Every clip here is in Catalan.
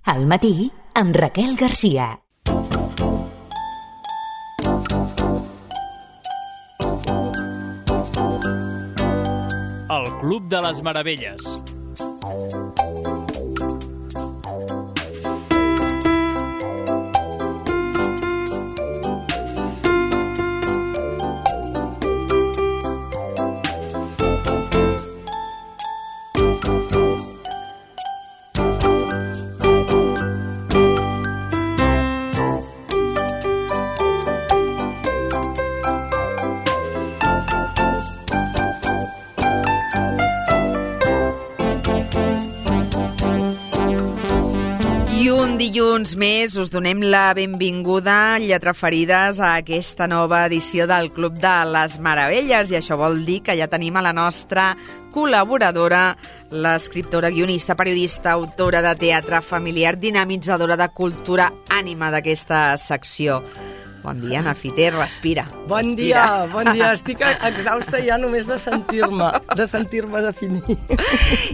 Al matí, amb Raquel Garcia. El Club de les Meravelles. Dilluns més us donem la benvinguda, lletraferides, a aquesta nova edició del Club de les Meravelles, i això vol dir que ja tenim a la nostra col·laboradora, l'escriptora, guionista, periodista, autora de teatre familiar, dinamitzadora de cultura, ànima d'aquesta secció. Bon dia, Nafiter, respira. Bon dia. Estic exhausta ja només de sentir-me definir.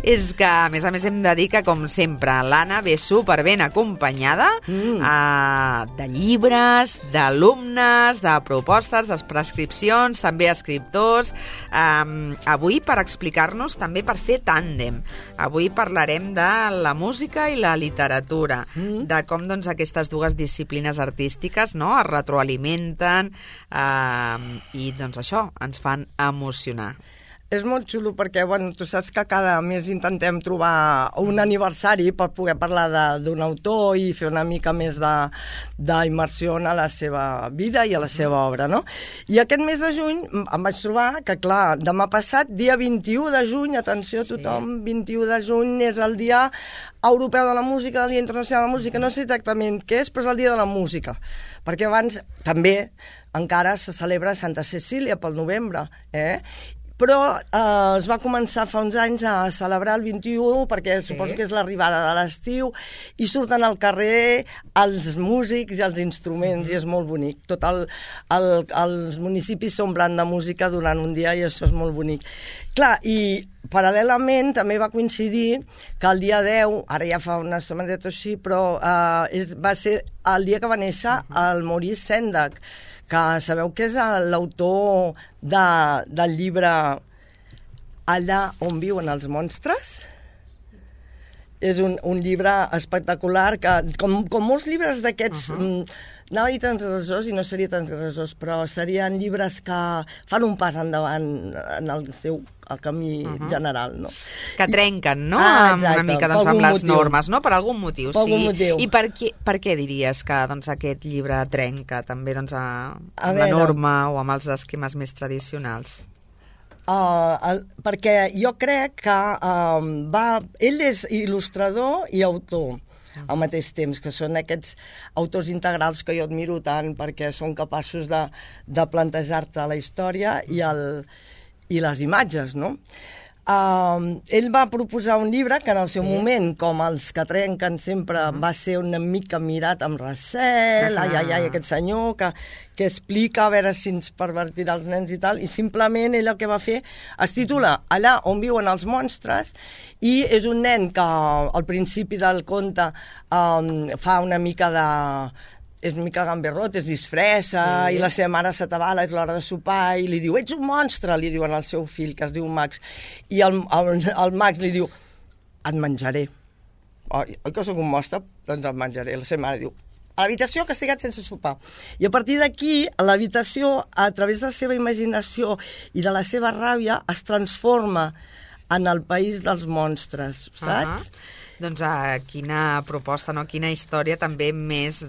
És que, a més hem de dir que, com sempre, l'Anna ve superben acompanyada de llibres, d'alumnes, de propostes, de prescripcions, també escriptors. Avui, per explicar-nos, també per fer tàndem. Avui parlarem de la música i la literatura, de com doncs, aquestes dues disciplines artístiques es retroalimenten i doncs això, ens fan emocionar. És molt xulo perquè, tu saps que cada mes intentem trobar un aniversari per poder parlar d'un autor i fer una mica més d'immersió a la seva vida i a la seva obra, no? I aquest mes de juny em vaig trobar que, clar, demà passat, dia 21 de juny, atenció a tothom, 21 de juny és el dia europeu de la música, el dia internacional de la música, no sé exactament què és, però és el dia de la música, perquè abans també encara se celebra Santa Cecília pel novembre, però es va començar fa uns anys a celebrar el 21 perquè suposo que és l'arribada de l'estiu i surten al carrer els músics i els instruments i és molt bonic. Els municipis s'omplen de música durant un dia i això és molt bonic. Clar, i paral·lelament també va coincidir que el dia 10, ara ja fa una setmaneta o així, però va ser el dia que va néixer el Maurice Sendak, que sabeu que és l'autor del llibre Allà on viuen els monstres? És un llibre espectacular que, com molts llibres d'aquests, anava a dir transgressors i no seria transgressors, però serien llibres que fan un pas endavant en el seu camí general, no? Que trenquen, no? Exacte, una mica amb les normes, no? Per algun motiu, per algun motiu. I per què diries que aquest llibre trenca també amb la norma o amb els esquemes més tradicionals? Perquè jo crec que ell és il·lustrador i autor al mateix temps, que són aquests autors integrals que jo admiro tant perquè són capaços de plantejar-te la història i les imatges, no? Ell va proposar un llibre que en el seu moment, com els que trenquen sempre, va ser una mica mirat amb recel, aquest senyor que explica a veure si ens pervertirà els nens i tal, i simplement ell el que va fer es titula Allà on viuen els monstres, i és un nen que al principi del conte fa una mica és una mica gamberrot, es disfressa, i la seva mare s'atabala, és l'hora de sopar, i li diu, ets un monstre, li diuen al seu fill, que es diu Max. I el Max li diu, et menjaré. Oi que sóc un monstre? Doncs et menjaré. La seva mare diu, a l'habitació castigat sense sopar. I a partir d'aquí, l'habitació, a través de la seva imaginació i de la seva ràbia, es transforma en el país dels monstres, saps? Doncs quina proposta, quina història també més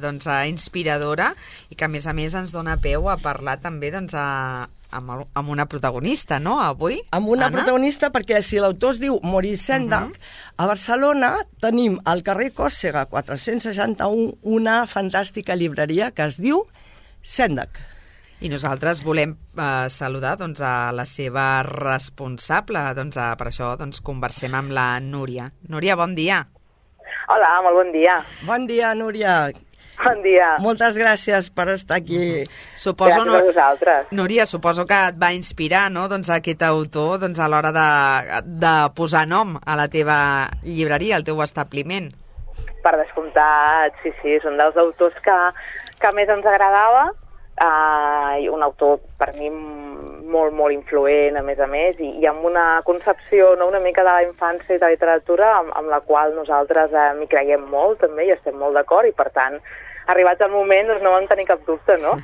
inspiradora i que a més ens dona peu a parlar també amb una protagonista, no, avui? Amb una protagonista, perquè si l'autor es diu Maurice Sendak, a Barcelona tenim al carrer Còrsega 461 una fantàstica llibreria que es diu Sendak. I nosaltres volem saludar a la seva responsable. Per això conversem amb la Núria. Núria, bon dia. Hola, molt bon dia. Bon dia, Núria. Bon dia. Moltes gràcies per estar aquí. Suposo, gràcies a vosaltres. Núria, suposo que et va inspirar, no?, aquest autor a l'hora de posar nom a la teva llibreria, al teu establiment. Per descomptat, sí, són dels autors que més ens agradava, i un autor per mi molt influent, a més, i amb una concepció, no, una mica de la infància i de la literatura amb la qual nosaltres m'hi creiem molt també i estem molt d'acord, i per tant, arribat el moment, doncs no vam tenir cap dubte, no?,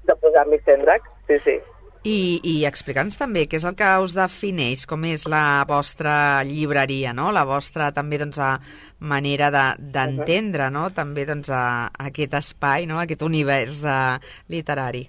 de posar-li Cendrex, sí. I explica'ns també què és el que us defineix, com és la vostra llibreria, no? La vostra també manera d'entendre, no? També aquest espai, no? Aquest univers literari.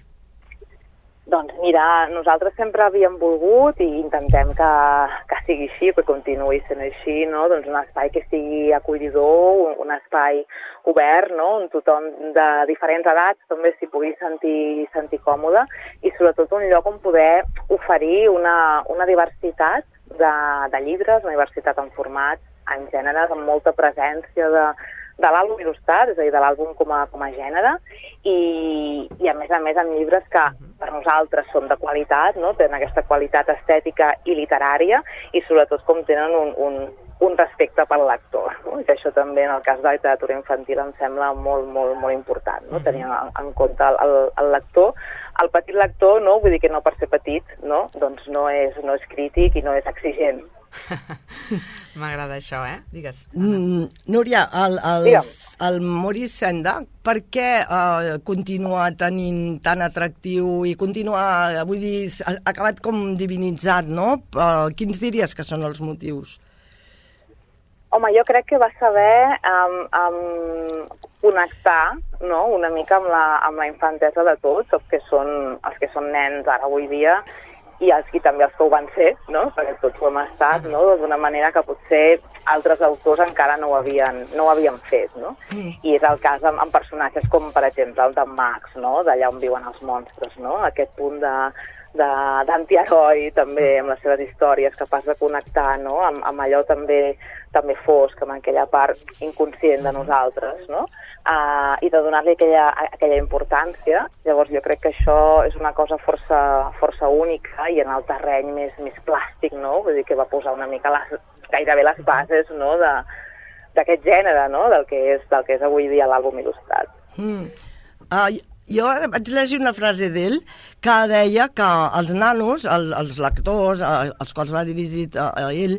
Doncs mira, nosaltres sempre havíem volgut i intentem que sigui així, que continuï sent així, no? Doncs un espai que sigui acollidor, un espai obert, no? On tothom de diferents edats també s'hi pugui sentir còmode, i sobretot un lloc on poder oferir una diversitat de llibres, una diversitat en formats, en gèneres, amb molta presència de l'àlbum il·lustrat, és a dir, de l'àlbum com a gènere, i a més en llibres que per nosaltres són de qualitat, no? Tenen aquesta qualitat estètica i literària, i sobretot com tenen un respecte pel lector, no? I que això també en el cas de la literatura infantil em sembla molt important, no? Tenir en compte el lector, el petit lector, no? Vull dir que no per ser petit, no? Doncs no és crític i no és exigent. M'agrada això, Digues. Núria, el Maurice Sendak, per què continua tenint tan atractiu i continua, vull dir, ha acabat com divinitzat, no? Quins diries que són els motius? Home, jo crec que va saber connectar, no?, una mica amb la infantesa de tots, els que són nens ara avui dia, i també els que ho van ser, no?, perquè tots ho hem estat, no?, d'una manera que potser altres autors encara no ho havien fet, no? I és el cas amb personatges com, per exemple, el d'en Max, no?, d'Allà on viuen els monstres, no?, aquest punt d'antiheroi també amb les seves històries, capaç de connectar, no?, amb allò també fosc, amb aquella part inconscient de nosaltres, no?, i de donar-li aquella importància. Llavors jo crec que això és una cosa força única, i en el terreny més plàstic, no?, vull dir que va posar una mica gairebé les bases, no?, d'aquest gènere, no?, del que és avui dia l'àlbum il·lustrat. Jo vaig llegir una frase d'ell que deia que els nanos, els lectors, als quals va dirigit a ell,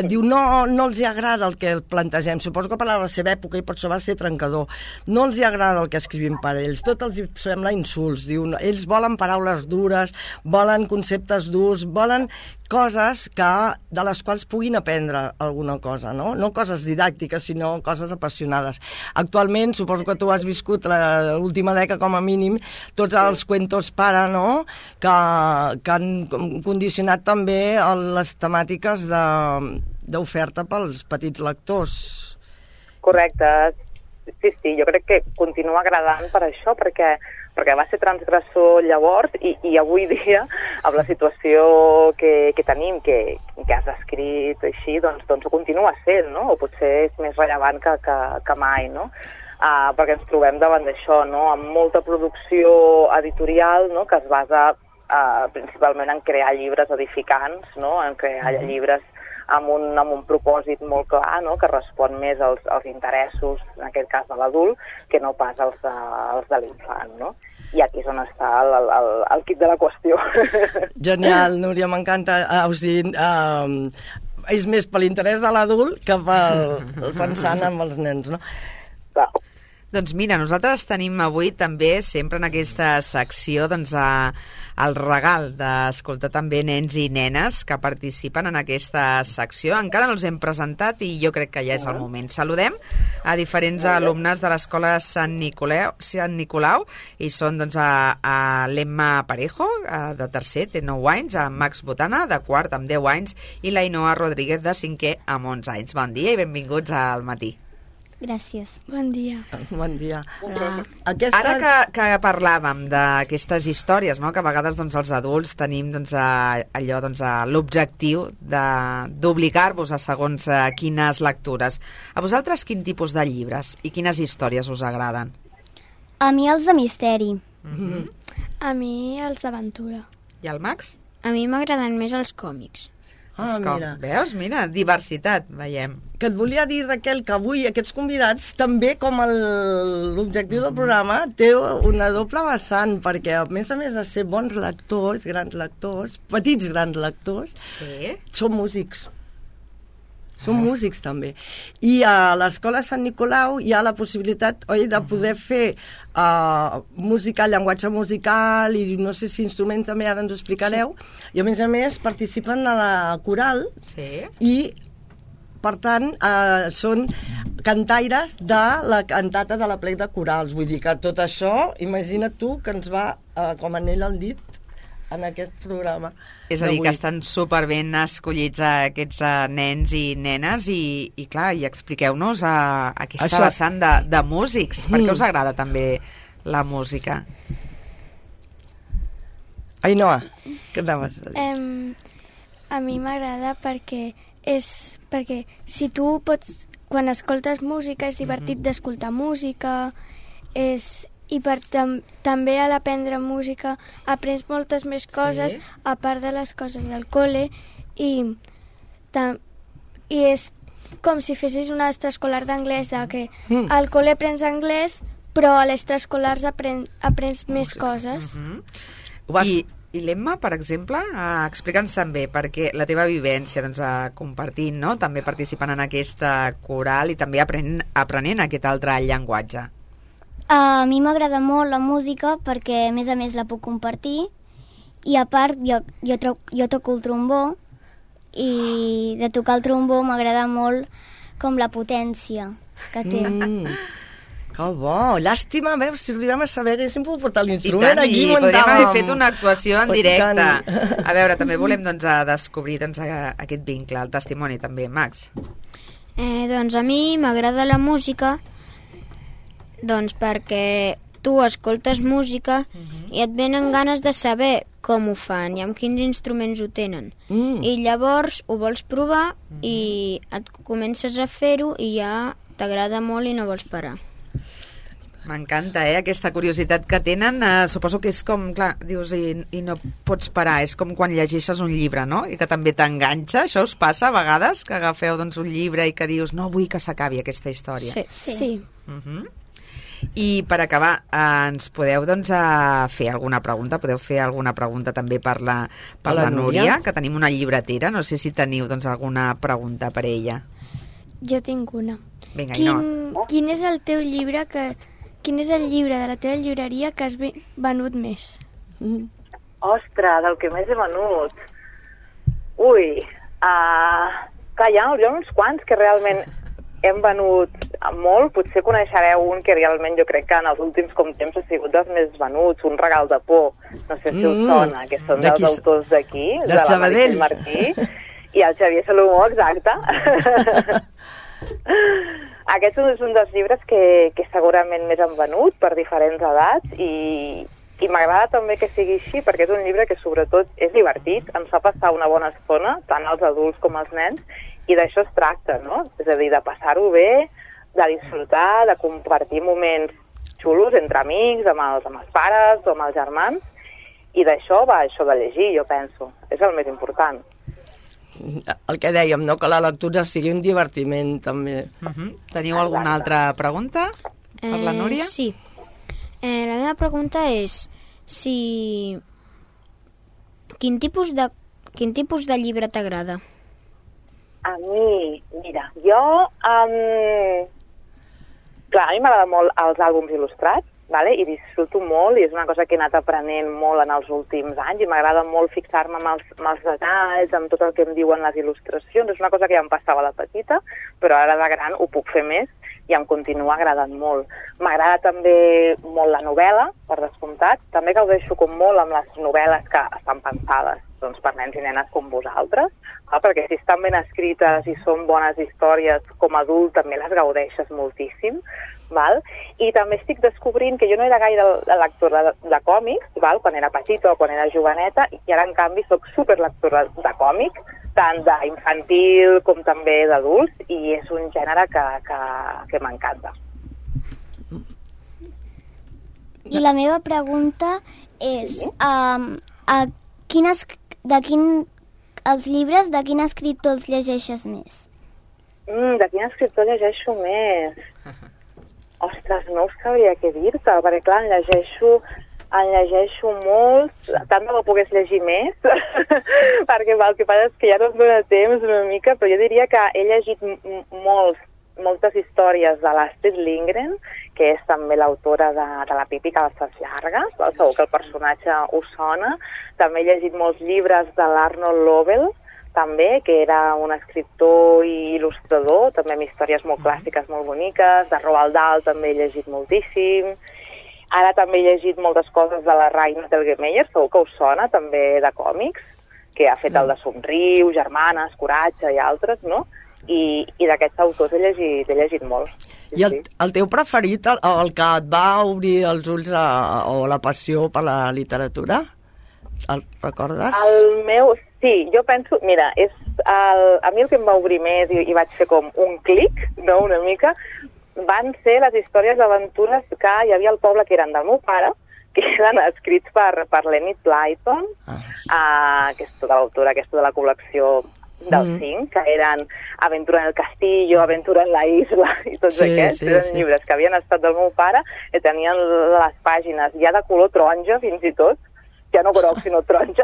diu, no els hi agrada el que plantegem. Suposo que per la seva època, i per això va ser trencador, no els hi agrada el que escrivim per ells. Tot els sembla insults. Diu, ells volen paraules dures, volen conceptes durs, volen coses de les quals puguin aprendre alguna cosa, no? No coses didàctiques, sinó coses apassionades. Actualment, suposo que tu has viscut l'última dècada, com a mínim, tots els cuentos para, no?, que han condicionat també les temàtiques d'oferta pels petits lectors. Correcte. Sí, jo crec que continua agradant per això, perquè va ser transgressor llavors, i avui dia, amb la situació que tenim, que has descrit així, doncs ho continua sent, no?, o potser és més rellevant que mai, no?, perquè ens trobem davant d'això, no?, amb molta producció editorial, no?, que es basa principalment en crear llibres edificants, no?, en crear llibres amb un propòsit molt clar, no?, que respon més als interessos, en aquest cas de l'adult, que no pas als de l'infant, no? I aquí és on està el quid de la qüestió. Genial, Núria, m'encanta. O sigui, és més per l'interès de l'adult que pensant en els nens, no? Clar. Doncs mira, nosaltres tenim avui també, sempre en aquesta secció, doncs, el regal d'escoltar també nens i nenes que participen en aquesta secció. Encara no els hem presentat i jo crec que ja és el moment. Saludem a diferents alumnes de l'escola Sant Nicolau, i són, doncs, a l'Emma Parejo, de tercer, té 9 anys, a Max Botana, de quart, amb 10 anys, i la Ainhoa Rodríguez, de cinquè, amb 11 anys. Bon dia i benvinguts al matí. Gràcies. Bon dia. Bon dia. Ara que parlàvem d'aquestes històries, no?, que a vegades, doncs, els adults tenim, doncs, allò, doncs, l'objectiu d'obligar-vos a segons quines lectures. A vosaltres quin tipus de llibres i quines històries us agraden? A mi els de misteri. A mi els d'aventura. I el Max? A mi m'agraden més els còmics. Mira. Veus? Mira, diversitat, veiem. Que et volia dir, Raquel, que avui aquests convidats també, com l'objectiu del programa, té una doble vessant, perquè a més de ser bons lectors, grans lectors, petits grans lectors, són músics. Són músics, també. I a l'Escola Sant Nicolau hi ha la possibilitat, de poder fer música, llenguatge musical i no sé si instruments també, ara ens ho explicareu, i a més participen a la coral i per tant són cantaires de la cantata de la plec de corals. Vull dir que tot això, imagina't tu que ens va com anell al dit en aquest programa. És a dir, que estan superben escollits aquests nens i nenes i clar, i expliqueu-nos aquesta vessant de músics. Per què us agrada també la música? Ainhoa, què anaves a dir? A mi m'agrada perquè si tu pots, quan escoltes música és divertit d'escoltar música, i també a l'aprendre música aprens moltes més coses a part de les coses del col·le i és com si fessis un extraescolar d'anglès, que al col·le aprens anglès però a l'extraescolars aprens més coses. I l'Emma, per exemple, explica'ns també, perquè la teva vivència compartint, no? També participant en aquesta coral i també aprenent aquest altre llenguatge. A mi m'agrada molt la música perquè a més la puc compartir i a part jo toco el trombó i de tocar el trombó m'agrada molt com la potència que té. Que bo, llàstima, veus, si arribem a saber, és sempre portar l'instrument aquí. I podríem haver fet una actuació en directe. A veure, també volem descobrir aquest vincle, el testimoni també. Max? Doncs a mi m'agrada la música perquè tu escoltes música i et venen ganes de saber com ho fan i amb quins instruments ho tenen. I llavors ho vols provar i et comences a fer-ho i ja t'agrada molt i no vols parar. M'encanta, aquesta curiositat que tenen. Suposo que és com, clar, dius, i no pots parar. És com quan llegeixes un llibre, no? I que també t'enganxa. Això us passa a vegades, que agafeu un llibre i que dius, no vull que s'acabi aquesta història. Sí. I per acabar, ens podeu fer alguna pregunta? Podeu fer alguna pregunta també per la Núria, que tenim una llibretera. No sé si teniu alguna pregunta per ella. Jo tinc una. Vinga, Ainhoa. Quin és el teu llibre Quin és el llibre de la teva llibreria que has venut més? Ostres, del que més he venut. Ui, clar, hi ha uns quants que realment hem venut molt. Potser coneixereu un que realment jo crec que en els últims temps ha sigut dels més venuts, Un regal de por. No sé si us sona, que són dels autors d'aquí, de la Meritxell Martí i el Xavier Salomó, exacte. Aquest és un dels llibres que segurament més han venut per diferents edats i m'agrada també que sigui així perquè és un llibre que sobretot és divertit, ens fa passar una bona estona, tant als adults com als nens, i d'això es tracta, no? És a dir, de passar-ho bé, de disfrutar, de compartir moments xulos entre amics, amb els pares o amb els germans, i d'això va això de llegir, jo penso. És el més important. El que dèiem, no? Que la lectura sigui un divertiment, també. Teniu alguna altra pregunta per la Núria? Sí. La meva pregunta és quin tipus de llibre t'agrada? A mi, mira, clar, a mi m'agrada molt els àlbums il·lustrats, vale? I disfruto molt, i és una cosa que he anat aprenent molt en els últims anys, i m'agrada molt fixar-me amb els detalls, amb tot el que em diuen les il·lustracions. És una cosa que ja em passava de petita, però ara de gran ho puc fer més i em continua agradant molt. M'agrada també molt la novel·la, per descomptat. També gaudeixo com molt amb les novel·les que estan pensades per nens i nenes com vosaltres, perquè si estan ben escrites i són bones històries, com a adult també les gaudeixes moltíssim. Val? I també estic descobrint que jo no era gaire lectora de còmics, val? Quan era petita o quan era joveneta, i ara en canvi soc superlectora de còmics, tant d'infantil com també d'adults, i és un gènere que m'encanta. I la meva pregunta és els llibres, de quin escriptor els llegeixes més? De quin escriptor llegeixo més? Ostres, no us sabria què dir-te, perquè clar, en llegeixo molts, tant de bo pogués llegir més, perquè el que passa és que ja no em dóna temps una mica, però jo diria que he llegit moltes històries de l'Astrid Lindgren, que és també l'autora de La Pipi Calces Llargues, segur que el personatge us sona. També he llegit molts llibres de l'Arnold Lovell, també, que era un escriptor i il·lustrador, també amb històries molt clàssiques, molt boniques. De Roald Dahl també he llegit moltíssim. Ara també he llegit moltes coses de la Raina Telgemeier, segur que us sona, també de còmics, que ha fet el de Somriu, Germanes, Coratge i altres, no? I d'aquests autors he llegit molt. I el teu preferit, el que et va obrir els ulls o la passió per la literatura? El recordes? El meu, sí, jo penso, mira, a mi el que em va obrir més i vaig fer com un clic, no, una mica, van ser les històries d'aventures que hi havia al poble que eren del meu pare, que eren escrits per l'Enid Blyton, que és tota l'autora aquesta de la col·lecció dels 5, que eren Aventura en el Castillo, Aventura en la Isla i tots aquests. Eren llibres que havien estat del meu pare i tenien les pàgines ja de color taronja fins i tot, ja no groc, sinó taronja.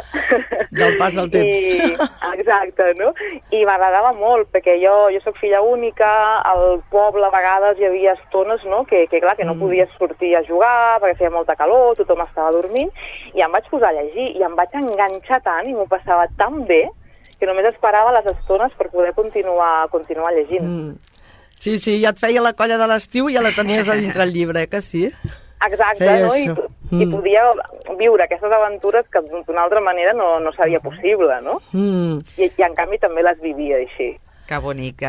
Del pas del temps. Exacte, no? I m'agradava molt, perquè jo soc filla única, al poble a vegades hi havia estones, no?, que clar, que no podies sortir a jugar perquè feia molta calor, tothom estava dormint, i em vaig posar a llegir, i em vaig enganxar tant, i m'ho passava tan bé, que només esperava les estones per poder continuar llegint. Sí, ja et feia la colla de l'estiu i ja la tenies a dintre el llibre, que sí? Exacte, no? I podia viure aquestes aventures que d'una altra manera no seria possible, no? I en canvi també les vivia així. Que bonic.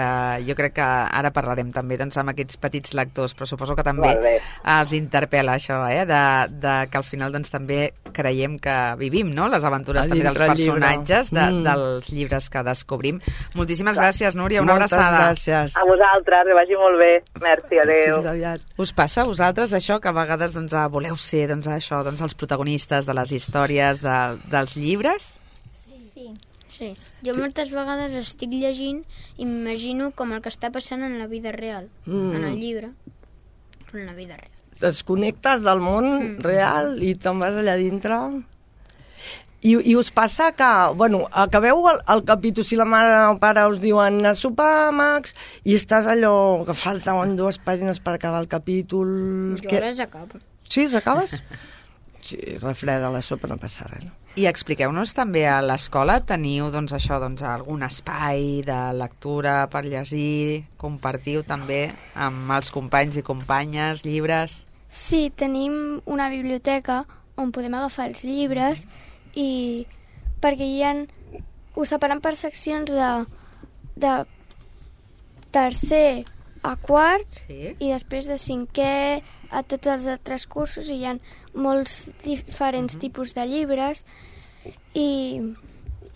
Jo crec que ara parlarem també doncs, amb aquests petits lectors, però suposo que també els interpel·la això, de que al final doncs, també creiem que vivim, no?, les aventures també dels personatges, dels llibres que descobrim. Moltíssimes gràcies, Núria, una abraçada. Moltes gràcies. A vosaltres, que vagi molt bé. Merci, adéu. Us passa a vosaltres això, que a vegades doncs, voleu ser els protagonistes de les històries dels llibres? Sí. Jo moltes vegades estic llegint i m'imagino com el que està passant en la vida real, en el llibre, però en la vida real. Desconnectes del món real i te'n vas allà dintre. I us passa que, acabeu el capítol, si la mare o pare us diuen a sopar, Max, i estàs allò que falten 2 pàgines per acabar el capítol... Jo les acabo. Sí, les acabes? Sí, refreda la sopa, no passa res, no? I expliqueu-nos també, a l'escola teniu algun espai de lectura per llegir, compartiu també amb els companys i companyes llibres? Sí, tenim una biblioteca on podem agafar els llibres i perquè ho separen per seccions de tercer a quart i després de 5è a tots els altres cursos, i hi ha molts diferents tipus de llibres i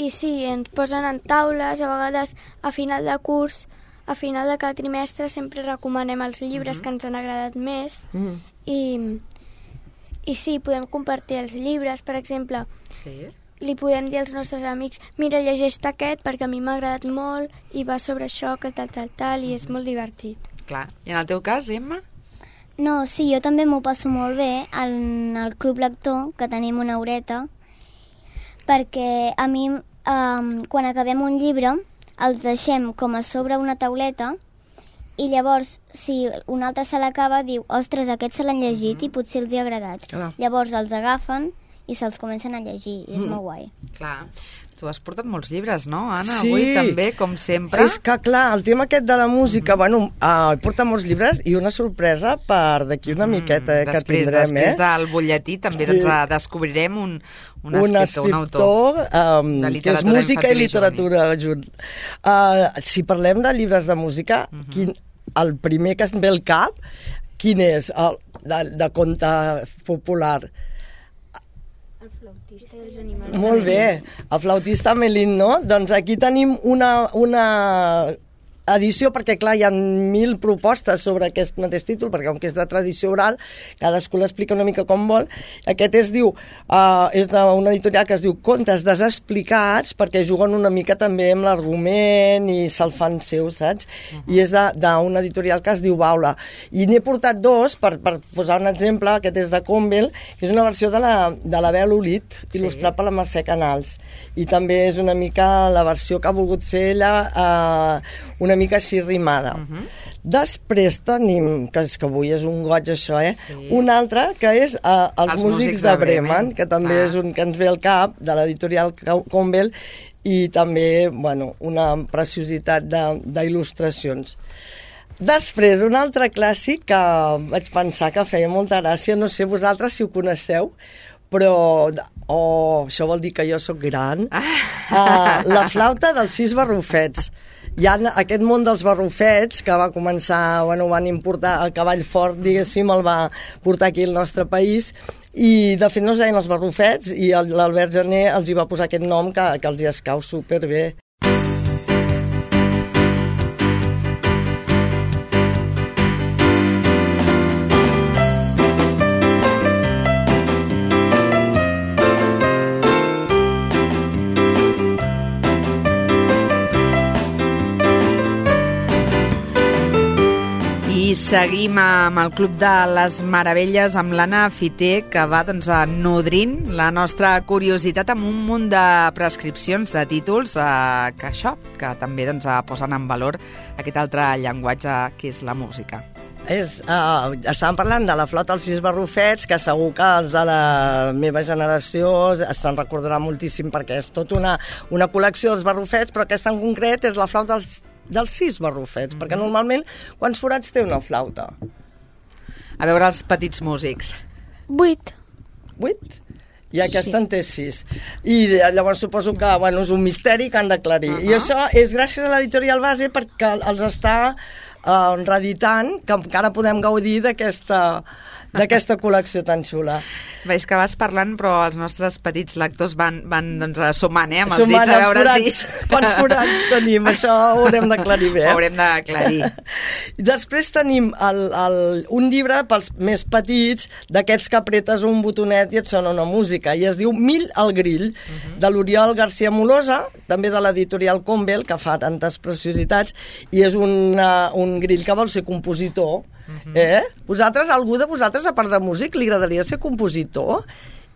sí, ens posen en taules, a vegades a final de curs, a final de cada trimestre sempre recomanem els llibres que ens han agradat més i sí, podem compartir els llibres, per exemple, li podem dir als nostres amics, mira, llegeix aquest perquè a mi m'ha agradat molt i va sobre això, que tal, i és molt divertit. Clar. I en el teu cas, Emma? No, sí, jo també m'ho passo molt bé en el Club Lector, que tenim una horeta, perquè a mi, quan acabem un llibre, els deixem com a sobre una tauleta i llavors, si un altre se l'acaba, diu, ostres, aquest se l'han llegit i potser els hi ha agradat. Llavors els agafen i se'ls comencen a llegir, i és molt guai. Clar. Tu has portat molts llibres, no, Anna? Sí. Avui també, com sempre. És que, clar, el tema aquest de la música, he portat molts llibres i una sorpresa per d'aquí una miqueta que tindrem. Després del butlletí també descobrirem un escriptor, un autor de literatura que és música i literatura junt. Si parlem de llibres de música, el primer que em ve al cap, quin és? De conte popular. El flautista i els animals. Molt bé, el flautista Melín, no? Doncs aquí tenim una edició, perquè clar, hi ha 1000 propostes sobre aquest mateix títol, perquè com que és de tradició oral, cadascú l'explica una mica com vol. Aquest és d'una editorial que es diu Contes desexplicats, perquè juguen una mica també amb l'argument i se'l fan seu, saps? I és d'una editorial que es diu Baula. I n'he portat dos, per posar un exemple, aquest és de Campbell, que és una versió de la Bel Olit, il·lustrat per la Mercè Canals. I també és una mica la versió que ha volgut fer ella, una mica així rimada. Després tenim, que és que avui és un goig això, un altre que és Els músics de Bremen, que també és un que ens ve al cap, de l'editorial Campbell, i també, bueno, una preciositat d'il·lustracions. Després, un altre clàssic que vaig pensar que feia molta gràcia, no sé vosaltres si ho coneixeu, però això vol dir que jo sóc gran. La flauta dels 6 barrufets. Hi ha aquest món dels barrufets que va començar, bueno, van importar el cavall fort, diguéssim, el va portar aquí al nostre país, i de fet no es deien els barrufets, i l'Albert Gené els hi va posar aquest nom que els hi escau superbé. I seguim amb el Club de les Meravelles, amb l'Anna Fiter, que va nodrint la nostra curiositat amb un munt de prescripcions, de títols, que també posen en valor aquest altre llenguatge que és la música. Estàvem parlant de la flauta dels 6 barrufets, que segur que els de la meva generació se'n recordarà moltíssim, perquè és tota una col·lecció dels barrufets, però aquesta en concret és la flauta dels 6 barrufets, perquè normalment quants forats té una flauta? A veure els petits músics. 8. 8? I aquesta en té 6. I llavors suposo que és un misteri que han d'aclarir. I això és gràcies a l'editorial Base, perquè els està reeditant, que encara podem gaudir d'aquesta col·lecció tan xula. Veus que vas parlant, però els nostres petits lectors van sumant, amb els dits a veure si... Quants forats tenim, això ho haurem d'aclarir bé. Ho haurem d'aclarir. Després tenim un llibre pels més petits, d'aquests que apretes un botonet i et sona una música, i es diu Mill al grill, de l'Oriol García Molosa, també de l'editorial Campbell, que fa tantes preciositats, i és un grill que vol ser compositor. Algú de vosaltres, a part de músic, li agradaria ser compositor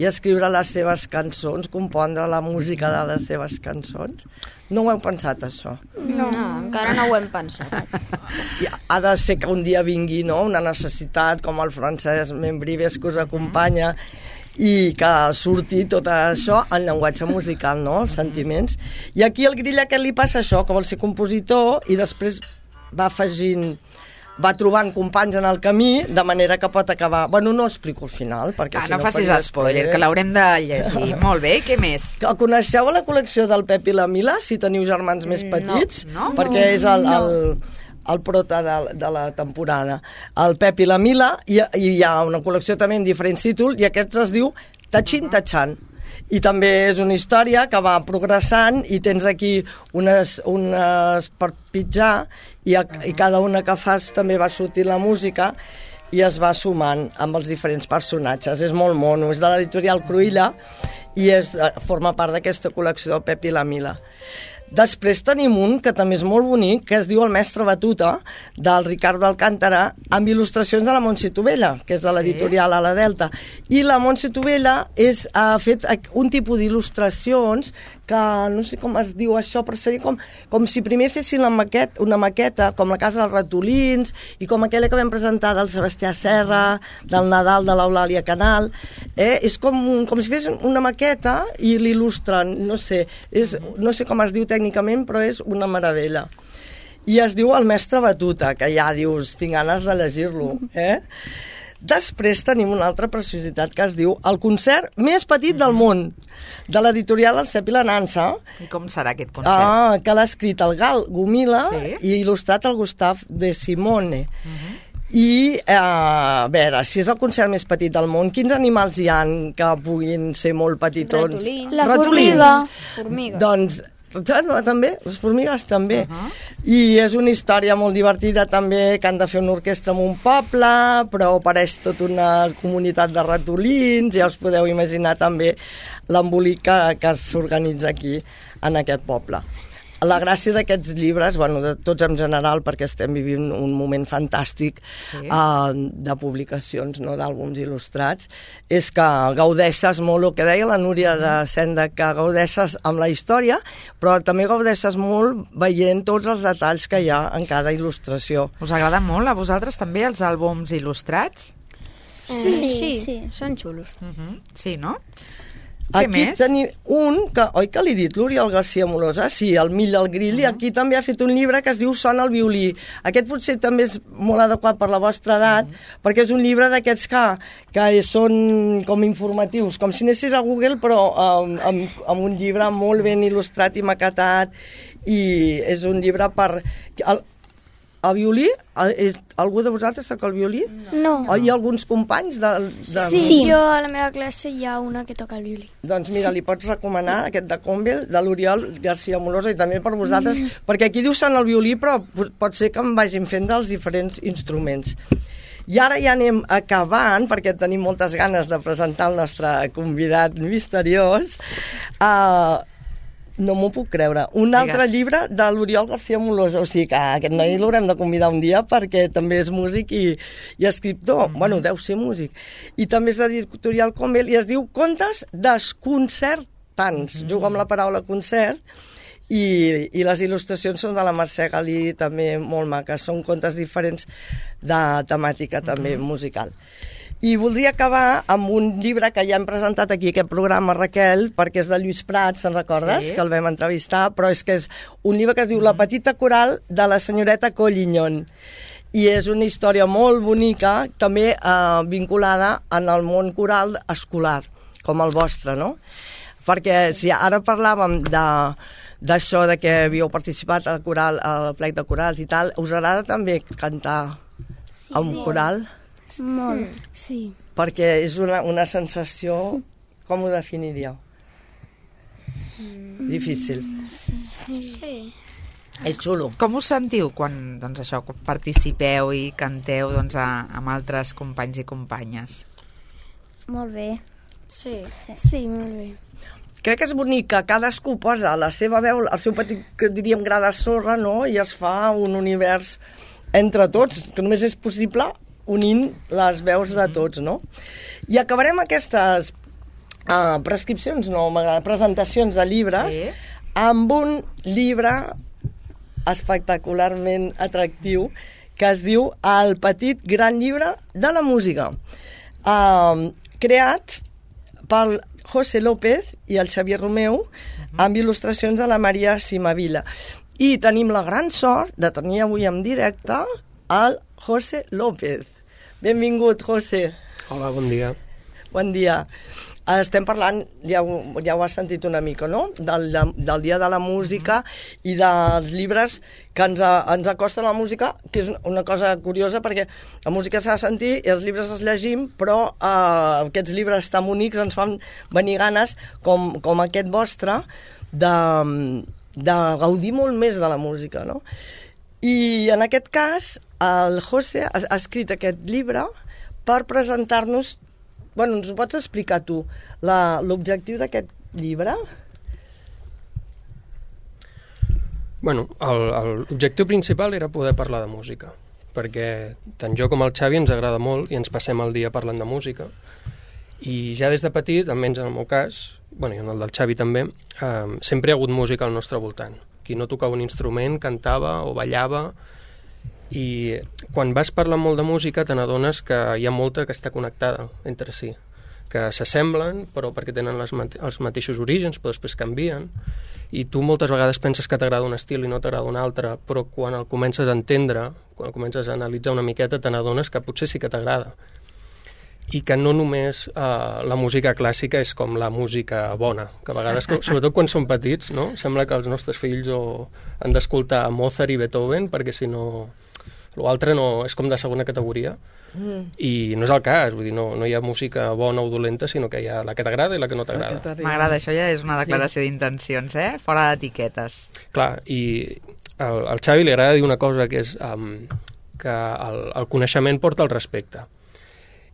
i escriure les seves cançons, compondre la música de les seves cançons? No ho heu pensat, això? No, encara no ho hem pensat. Ha de ser que un dia vingui, no?, una necessitat, com el Francesc Membrives, que us acompanya, i que surti tot això en llenguatge musical, no?, els sentiments. I aquí al grill aquest li passa això, que vol ser compositor, i després va trobant companys en el camí, de manera que pot acabar... Bueno, no explico el final, perquè si no facis spoiler, que l'haurem de llegir. Molt bé, què més? Coneixeu la col·lecció del Pep i la Mila, si teniu germans més petits? No. Perquè és el prota de la temporada. El Pep i la Mila, i hi ha una col·lecció també amb diferents títols, i aquest es diu Tachin Tachan. I també és una història que va progressant i tens aquí unes per pitjar i cada una que fas també va sortir la música i es va sumant amb els diferents personatges. És molt mono, és de l'editorial Cruïlla i forma part d'aquesta col·lecció del Pep i la Mila. Després tenim un que també és molt bonic, que es diu El mestre Batuta, del Ricardo Alcántara, amb il·lustracions de la Montse Tovella, que és de l'editorial Ala Delta. I la Montse Tovella ha fet un tipus d'il·lustracions que no sé com es diu això, però seria com si primer fessin una maqueta, com la Casa dels Ratolins, i com aquella que vam presentar del Sebastià Serra, del Nadal de l'Eulàlia Canal. És com si fessin una maqueta i l'il·lustren, no sé com es diu tècnicament, però és una meravella. I es diu El mestre Batuta, que ja dius, tinc ganes de llegir-lo. Després tenim una altra preciositat que es diu El concert més petit del món, de l'editorial El Cep i la Nansa. I com serà aquest concert? Que l'ha escrit el Gal Gomila i il·lustrat el Gustave de Simone. I, a veure, si és el concert més petit del món, quins animals hi ha que puguin ser molt petitons? Ratolins. La formiga. Doncs També, les formigues també. I és una història molt divertida també, que han de fer una orquestra en un poble, però apareix tota una comunitat de ratolins, ja us podeu imaginar també l'embolic que s'organitza aquí en aquest poble. La gràcia d'aquests llibres, bueno, de tots en general, perquè estem vivint un moment fantàstic de publicacions, no, d'àlbums il·lustrats, és que gaudeixes molt, el que deia la Núria de Senda, que gaudeixes amb la història, però també gaudeixes molt veient tots els detalls que hi ha en cada il·lustració. Us agrada molt a vosaltres també els àlbums il·lustrats? Sí, són xulos. Sí, no? Què Aquí més? tenim un, oi que l'he dit, l'Oriol García Molosa? Sí, el Mill el Grill, i aquí també ha fet un llibre que es diu Sona el violí. Aquest potser també és molt adequat per la vostra edat, perquè és un llibre d'aquests que són com informatius, com si anessis a Google, però amb un llibre molt ben il·lustrat i maquetat, i és un llibre per... El violí? Algú de vosaltres toca el violí? No. O hi ha alguns companys Sí, jo a la meva classe hi ha una que toca el violí. Doncs mira, li pots recomanar aquest de Convel, de l'Oriol García Molosa, i també per vosaltres, perquè aquí diu Sona el violí, però pot ser que em vagin fent dels diferents instruments. I ara ja anem acabant, perquè tenim moltes ganes de presentar el nostre convidat misteriós. No m'ho puc creure. Un altre llibre de l'Oriol García Molosa. O sigui que aquest noi l'haurem de convidar un dia perquè també és músic i escriptor. Bueno, deu ser músic. I també és de l'editorial Convel i es diu Contes desconcertants. Juga amb la paraula concert i les il·lustracions són de la Mercè Galí, també molt maques. Són contes diferents de temàtica també musical. I voldria acabar amb un llibre que ja hem presentat aquí, aquest programa, Raquel, perquè és de Lluís Prat, se'n recordes? Sí. Que el vam entrevistar, però és que és un llibre que es diu La petita coral de la senyoreta Collignon. I és una història molt bonica, també vinculada en el món coral escolar, com el vostre, no? Perquè si ara parlàvem d'això, de que havíeu participat al coral, al plec de corals i tal, us agrada també cantar a un coral? Molt. Sí. Perquè és una sensació... Com ho definiríeu? Difícil. Sí. És xulo. Com us sentiu quan, doncs, això, quan participeu i canteu doncs, amb altres companys i companyes? Molt bé. Sí. Sí, molt bé. Crec que és bonic que cadascú posa la seva veu, el seu petit, que diríem, gra de sorra, no? I es fa un univers entre tots, que només és possible unint les veus de tots, no? I acabarem aquestes prescripcions, no, presentacions de llibres, amb un llibre espectacularment atractiu que es diu El petit gran llibre de la música, creat pel José López i el Xavier Romeu, amb il·lustracions de la Maria Simavila. I tenim la gran sort de tenir avui en directe el José López. Benvingut, José. Hola, bon dia. Bon dia. Estem parlant, ja ho has sentit una mica, no?, del Dia de la Música i dels llibres que ens acosten a la música, que és una cosa curiosa perquè la música s'ha de sentir i els llibres els llegim, però aquests llibres tan bonics ens fan venir ganes, com aquest vostre, de gaudir molt més de la música, no? I en aquest cas el José ha escrit aquest llibre per presentar-nos... Bueno, ens ho pots explicar tu, l'objectiu d'aquest llibre? Bueno, l'objectiu principal era poder parlar de música, perquè tant jo com el Xavi ens agrada molt i ens passem el dia parlant de música. I ja des de petit, almenys en el meu cas, bueno, i en el del Xavi també, sempre hi ha hagut música al nostre voltant. Qui no tocava un instrument cantava o ballava, i quan vas parlar molt de música te n'adones que hi ha molta que està connectada entre si, que s'assemblen però perquè tenen els mateixos orígens però després canvien, i tu moltes vegades penses que t'agrada un estil i no t'agrada un altre, però quan el comences a entendre, quan comences a analitzar una miqueta te n'adones que potser sí que t'agrada, i que no només la música clàssica és com la música bona, que a vegades, sobretot quan són petits, no? Sembla que els nostres fills han d'escoltar Mozart i Beethoven perquè si no L'altre no, és com de segona categoria. I no és el cas, vull dir, no hi ha música bona o dolenta, sinó que hi ha la que t'agrada i la que no t'agrada. M'agrada, això ja és una declaració d'intencions, fora d'etiquetes. Clar, i al Xavi li agrada dir una cosa, que és que el coneixement porta el respecte.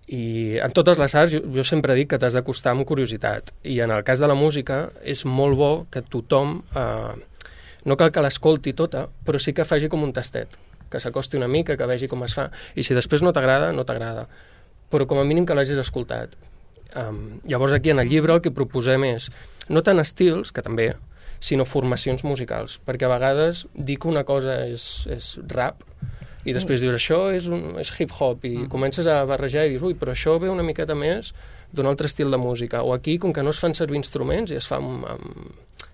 I en totes les arts jo sempre dic que t'has d'acostar amb curiositat, i en el cas de la música és molt bo que tothom, no cal que l'escolti tota, però sí que faci com un tastet, que s'acosti una mica, que vegi com es fa, i si després no t'agrada, no t'agrada, però com a mínim que l'hagis escoltat. Llavors aquí en el llibre el que proposem és no tant estils, que també, sinó formacions musicals, perquè a vegades dir que una cosa és rap i després dius això és hip-hop i comences a barrejar i dius ui, però això ve una miqueta més d'un altre estil de música, o aquí com que no es fan servir instruments i es fa amb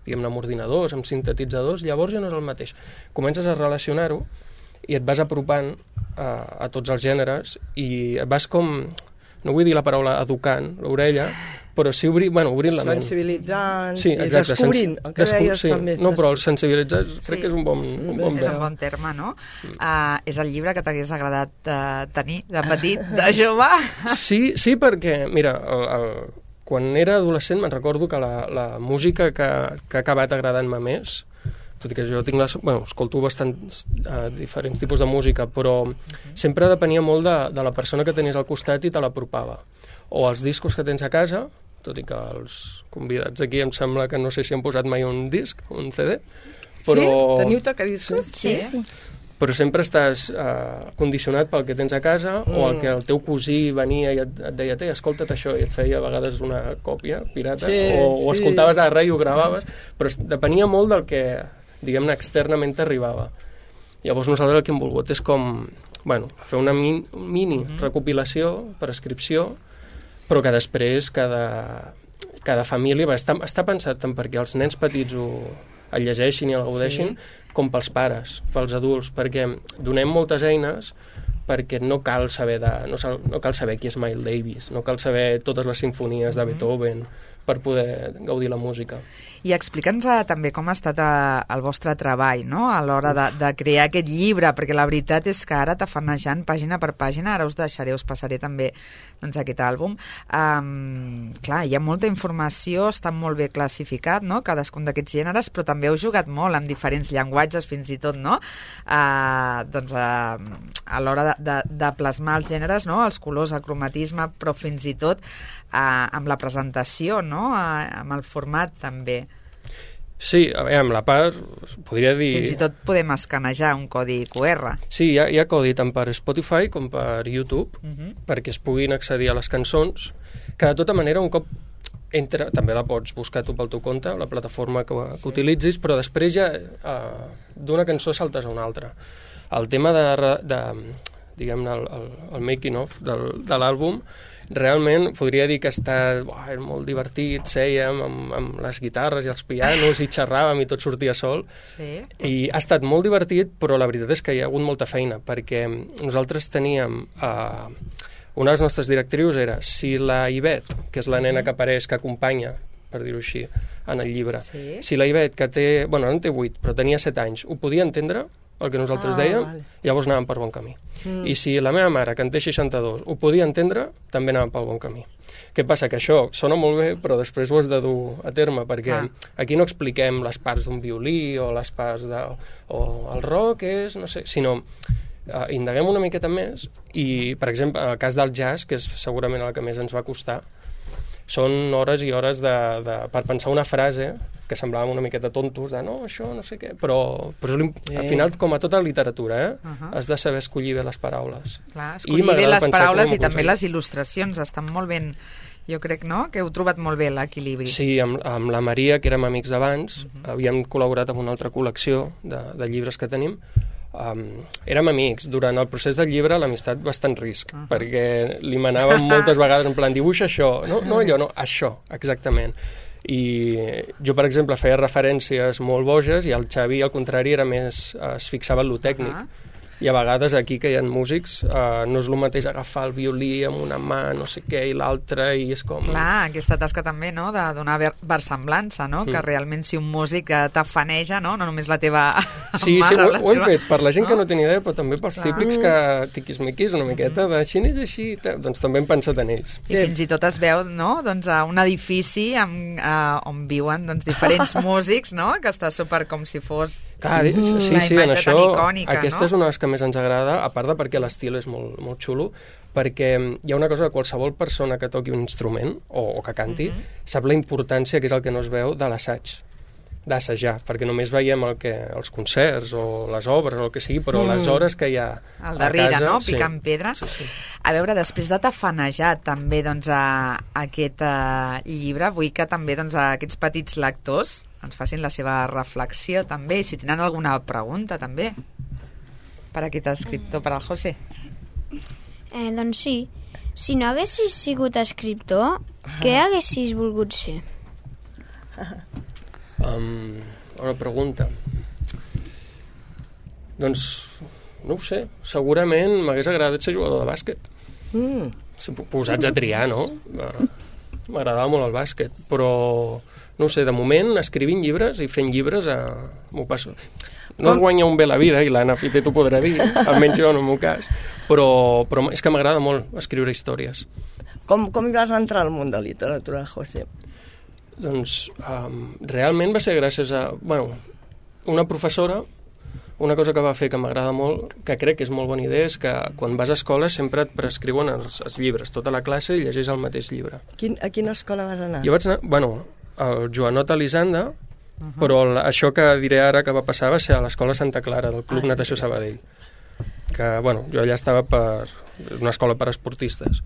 diguem-ne amb ordinadors, amb sintetitzadors, llavors ja no és el mateix. Comences a relacionar-ho i et vas apropant a tots els gèneres i et vas com, no vull dir la paraula educant l'orella, però sí obrint la ment. Sensibilitzant, sí, exacte, descobrint, el que deies també. No, però el sensibilitzar crec que és un bon és un bon terme, no? És el llibre que t'hagués agradat tenir de petit, de jove? Sí, perquè, mira, quan era adolescent me'n recordo que la música que ha acabat agradant-me més, tot i que jo escolto bastants diferents tipus de música, però sempre depenia molt de la persona que tenies al costat i te l'apropava. O els discos que tens a casa, tot i que els convidats aquí em sembla que no sé si han posat mai un disc, un CD, però... Sí? Teniu tocadiscos? Sí. Però sempre estàs condicionat pel que tens a casa o el que el teu cosí venia i et deia escolta't això, i et feia a vegades una còpia pirata, o escoltaves de res i ho gravaves, però depenia molt del que, diguem-ne, externament t'arribava. Llavors nosaltres el que hem volgut és com, fer una mini recopilació, prescripció, però que després cada família està pensat tant perquè els nens petits el llegeixin i el gaudeixin, com pels pares, pels adults, perquè donem moltes eines perquè no cal saber qui és Miles Davis, no cal saber totes les simfonies de Beethoven per poder gaudir la música. I explica'ns també com ha estat el vostre treball, no?, a l'hora de crear aquest llibre, perquè la veritat és que ara tafanejant pàgina per pàgina, ara us passaré també aquest àlbum. Clar, hi ha molta informació, està molt bé classificat, no?, cadascun d'aquests gèneres, però també heu jugat molt amb diferents llenguatges, fins i tot, no?, a l'hora de plasmar els gèneres, no?, els colors, el cromatisme, però fins i tot amb la presentació, no?, amb el format també. Sí, amb la part, podria dir... Fins i tot podem escanejar un codi QR. Sí, hi ha codi tant per Spotify com per YouTube, perquè es puguin accedir a les cançons, que de tota manera un cop entra, també la pots buscar tu pel teu compte, la plataforma que utilitzis, però després ja d'una cançó saltes a una altra. El tema de diguem-ne, el making of de l'àlbum, realment podria dir que està molt divertit, sèiem amb les guitarres i els pianos i xerràvem i tot sortia sol, i ha estat molt divertit, però la veritat és que hi ha hagut molta feina, perquè nosaltres teníem una de les nostres directrius era si la Ivet, que és la nena que apareix, que acompanya, per dir-ho així, en el llibre, si la Ivet, que té, no en té 8, però tenia 7 anys, ho podia entendre, el que nosaltres dèiem, llavors anàvem per bon camí. I si la meva mare, que en té 62, ho podia entendre, també anàvem pel bon camí. Què passa? Que això sona molt bé, però després ho has de dur a terme, perquè aquí no expliquem les parts d'un violí o les parts o el rock és, no sé, sinó indaguem una miqueta més i, per exemple, en el cas del jazz, que és segurament el que més ens va costar, són hores i hores per pensar una frase que semblàvem una miqueta tontos, no, això, no sé què, però al final, com a tota literatura, has de saber escollir bé les paraules. Clar, escollir bé les paraules i també les il·lustracions, estan molt ben, jo crec, no?, que heu trobat molt bé l'equilibri. Sí, amb la Maria, que érem amics d'abans, havíem col·laborat amb una altra col·lecció de llibres que tenim, érem amics. Durant el procés del llibre l'amistat va estar en risc, perquè li manàvem moltes vegades en plan, dibuixa això, no allò, no, això, exactament. I jo, per exemple, feia referències molt boges i el Xavi, al contrari, era més, es fixava en lo tècnic. I a vegades aquí que hi ha músics no és el mateix agafar el violí amb una mà, no sé què, i l'altra, i és com... Clar, aquesta tasca també, no?, de donar versemblança, no?, que realment si un músic t'afaneja, no només la teva Sí, mà, sí, la ho hem teva... fet, per la gent que no té ni idea, però també pels típics que tiquis-miquis una miqueta de xinès així, doncs també hem pensat en ells. I fins i tot es veu, no?, doncs a un edifici on viuen doncs, diferents músics, no?, que està super com si fos Clar, sí, una imatge tan icònica, aquesta no? és una de les que més ens agrada, a part de perquè l'estil és molt, molt xulo, perquè hi ha una cosa que qualsevol persona que toqui un instrument o que canti sap la importància, que és el que no es veu, de l'assaig, d'assajar, perquè només veiem els concerts o les obres o el que sigui, però les hores que hi ha al darrere, a casa, no?, picant pedra. Sí. A veure, després de tafanejar també doncs, aquest llibre, vull que també doncs, aquests petits lectors ens facin la seva reflexió també, si tenen alguna pregunta també per a aquest escriptor, per al José. Doncs sí, si no haguessis sigut escriptor, què haguessis volgut ser? Una pregunta. Doncs, no ho sé, segurament m'hagués agradat ser jugador de bàsquet. Si posats a triar, no? M'agradava molt el bàsquet, però no ho sé, de moment escrivint llibres i fent llibres m'ho passo. No es guanya un bé la vida, i l'Anna Fite t'ho podrà dir, almenys jo en el meu cas, però és que m'agrada molt escriure històries. Com hi vas entrar al món de literatura, José? Doncs realment va ser gràcies a una professora. Una cosa que va fer que m'agrada molt, que crec que és molt bona idea, és que quan vas a escola sempre et prescriuen els llibres, tota la classe, i llegeix el mateix llibre. A quina escola vas anar? Jo vaig anar, al Joanot Elisanda, però això que diré ara que va passar va ser a l'Escola Santa Clara, del Club Natació Sabadell, que, jo allà estava per una escola per esportistes.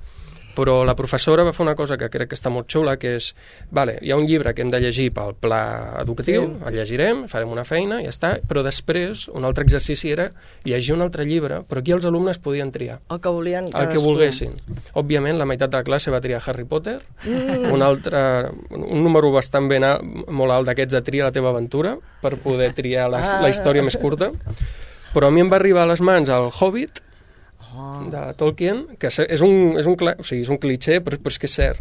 Però la professora va fer una cosa que crec que està molt xula, que és, hi ha un llibre que hem de llegir pel pla educatiu, el llegirem, farem una feina, i ja està, però després un altre exercici era llegir un altre llibre, però aquí els alumnes podien triar. El que volien cadascú. El que volguessin. Òbviament, la meitat de la classe va triar Harry Potter, un número bastant molt alt d'aquests de triar la teva aventura, per poder triar la història més curta, però a mi em va arribar a les mans el Hobbit, de Tolkien, que és un cliché, però és que és cert.